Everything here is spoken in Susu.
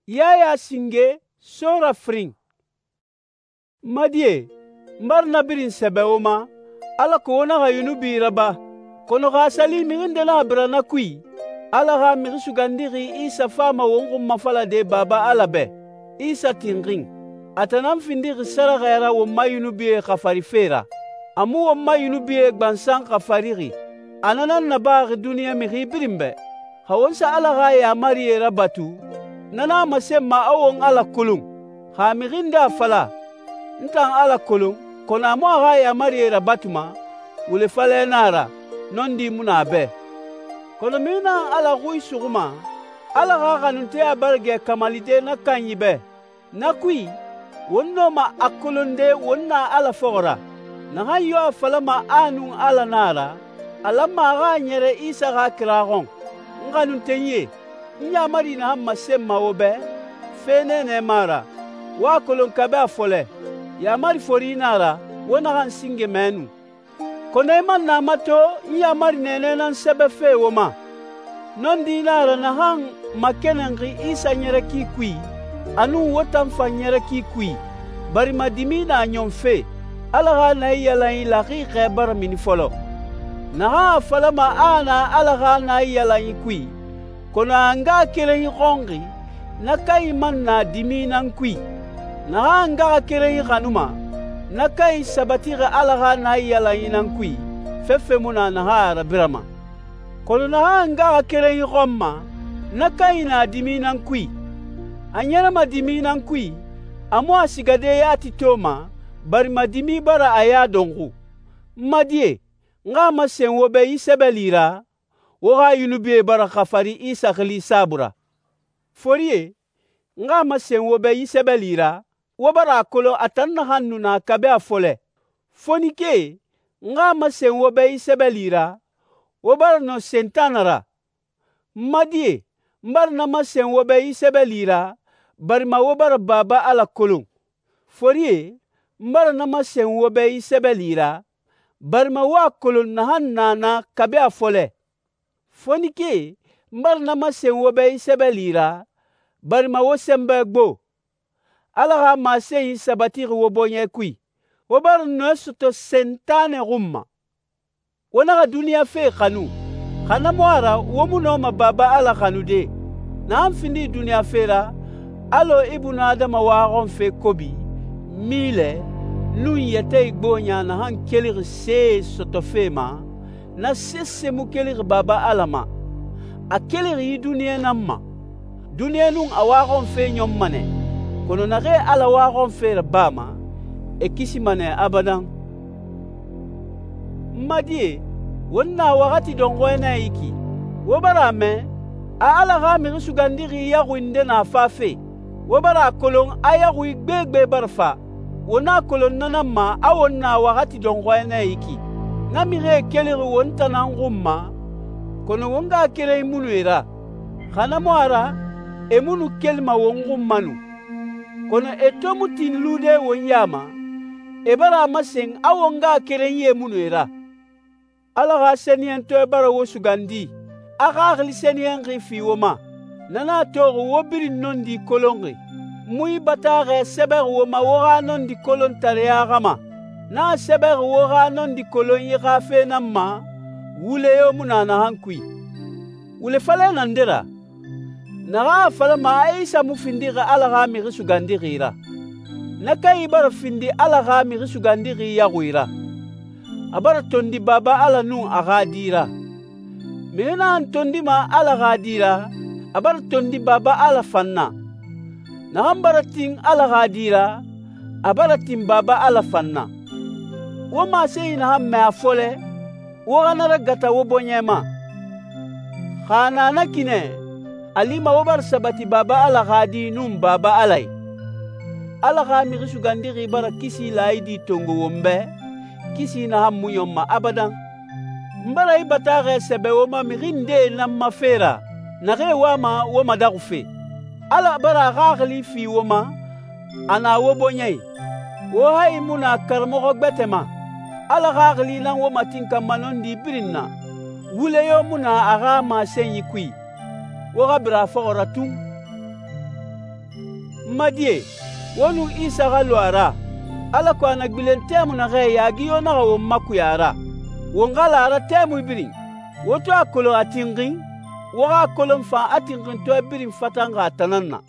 Yaya singe, Sora firin. N ma die, n bara na birin sɛbɛ wo ma, alako wo naxa yunubi raba. Kɔnɔ xa a sa li mixi nde naxa bira na kui, Ala xa Mixi Sugandixi Isa fama won xun mafalade Baba Ala bɛ, Isa tinxin. A tan nan findixi sɛrɛxɛ ra won ma yunubie xafarife ra. A mu won ma yunubie gbansan xafarixi. A na nan nabaxi duniɲa mixi birin bɛ. Xa won sa Ala xa yaamarie rabatu, na nan a masenma a won Ala kolon. Xa a mixi nde a fala, «N tan Ala kolon,» kɔnɔ a mu a xa yaamarie rabatuma, wule falɛ nan a ra, nɔndi mu na a bɛ. Kɔnɔ mixi naxan Ala xui suxuma, Ala xa xanunteya bara gɛ kamalide na kanyi bɛ. Na kui, won nɔma a kolonde won na Ala fɔxɔ ra. Naxan yo a falama a nun Ala nan a ra, a lanma a xa a ɲɛrɛ Isa xa kira xɔn. N xanuntenyie, n yaamari naxan masenma wo bɛ, fe nɛɛnɛ mu a ra. Wo a kolon kabi a fɔlɛ, yaamari fori nan a ra, wo naxan singe mɛɛnu. Kɔnɔ i man na mato n yaamari nɛɛnɛ nan sɛbɛfe wo ma. Nɔndi nan a ra naxan makɛnɛnxi Isa ɲɛrɛki kui, a nun wo tan fan ɲɛrɛki kui, barima dimi na ɲɔnfe. Ala xa naiyalanyi laxixɛ bara mini fɔlɔ. Naxan a falama a na Ala xa naiyalanyi kui, kɔnɔ a ngaxakerenyi xɔnxi, na kanyi man na dimi nan kui. Naxan a ngaxakerenyi xanuma, na kanyi sabatixi Ala xa naiyalanyi nan kui, fefe mu na naxan a rabirama. Kɔnɔ naxan a ngaxakerenyi xɔnma, na kanyi na dimi nan kui. A ɲɛrɛma dimi nan kui, a mu a sigade yati toma, barima dimi bara a ya dɔnxu. N ma die, n xa a masen wo bɛ yi sɛbɛli ra, wo xa yunubie bara xafari Isa xili saabui ra. Forie, n xa a masen wo bɛ yi sɛbɛli ra, wo bara a kolon a tan naxan nu na kabi a fɔlɛ. Fonike, n xa a masen wo bɛ yi sɛbɛli ra, wo bara nɔ Sentanɛ ra. N ma die, n bara na masen wo bɛ yi sɛbɛli ra, barima wo bara Baba Ala kolon. Forie, n bara na masen wo bɛ yi sɛbɛli ra, barima wo a kolon naxan na na kabi a fɔlɛ. Fonike, n bara na masen wo bɛ yi sɛbɛli ra, barima wo sɛnbɛ gbo. Ala xa masenyi sabatixi wo bɔɲɛ kui. Wo bara nɔɛ sɔtɔ Sentanɛ xun ma. Wo naxa duniɲa fe xanu, xa na mu a ra wo mu nɔma Baba Ala xanude. Naxan findi duniɲa fe ra, alɔ Ibunu Adama waxɔnfe kobi, milɛ, nun yɛtɛ igboɲa naxan kelixi see sɔtɔfe ma, na sese mu kelixi Baba Ala ma. A kelixi yi duniɲa nan ma. Duniɲa nun a waxɔnfe ɲɔnma nɛ, kɔnɔ naxee Ala waxɔnfe rabama, e kisima nɛ abadan. N ma die, won na waxati dɔnxɔɛ nɛ yi ki. Wo bara a mɛ, a Ala xa Mixi Sugandixi yaxui nde na fafe. Wo bara a kolon a yaxui gbegbe bara fa. Wo na kolon na nan ma a won na waxati dɔnxɔɛ nɛ yi ki. Na mixie kelixi won tan nan xun ma, kɔnɔ won ngaxakerenyi mu nu e ra. Xa na mu a ra, e mu nu kelima won xun ma nu. Kɔnɔ e to mu tin lude won ya ma, e bara a masen a won ngaxakerenyie mu nu e ra. Ala xa sɛniyɛntɔɛ bara wo sugandi, a xaxili sɛniyɛnxi fi wo ma. Na nan a toxi wo birin nɔndi kolonxi. Mu yi bataaxɛ sɛbɛxi wo ma wo xa nɔndi kolontareya xa ma. Na a sɛbɛxi wo xa nɔndi kolonyi xa fe nan ma, wule yo mu na naxan kui. Wule falɛ na nde ra? Naxan a falama a Isa mu findixi Ala xa Mixi Sugandixi ra. Na kanyi bara findi Ala xa Mixi Sugandixi yaxui ra. A bara tondi Baba Ala nun a xa Di ra. Mixi naxan tondima Ala xa Di ra, a bara tondi Baba Ala fan na. Naxan bara tin Ala xa Di ra, a bara tin Baba Ala fan na. Wo masenyi naxan mɛ a fɔlɛ, wo xa na ragata wo bɔɲɛ ma. Xa a na na ki nɛ, a lima wo bara sabati Baba Ala xa Di nun Baba Ala yi. Ala xa Mixi Sugandixi bara kisi laayidi tongo won bɛ, kisi naxan mu ɲɔnma abadan. N bara yi bataaxɛ sɛbɛ wo ma mixi ndee nan ma fe ra, naxee wama wo madaxufe. Ala bara a xaxili fi wo ma, a na wo bɔɲɛ yi. Wo hayi mu na karamɔxɔ gbɛtɛ ma. Ala xaxili nan wo matinkanma nɔndi birin na. Wule yo mu na a xa masenyi kui. Wo xa bira a fɔxɔ ra tun. N ma die, wo nun Isa xa lu a ra, alako a na gbilen tɛmui naxɛ yaagi yo naxa won makuya a ra. Won xa la a ra tɛmui birin. Wo to a kolon a tinxin, wo xa a kolon fan a tinxintɔɛ birin fatanxi a tan nan na.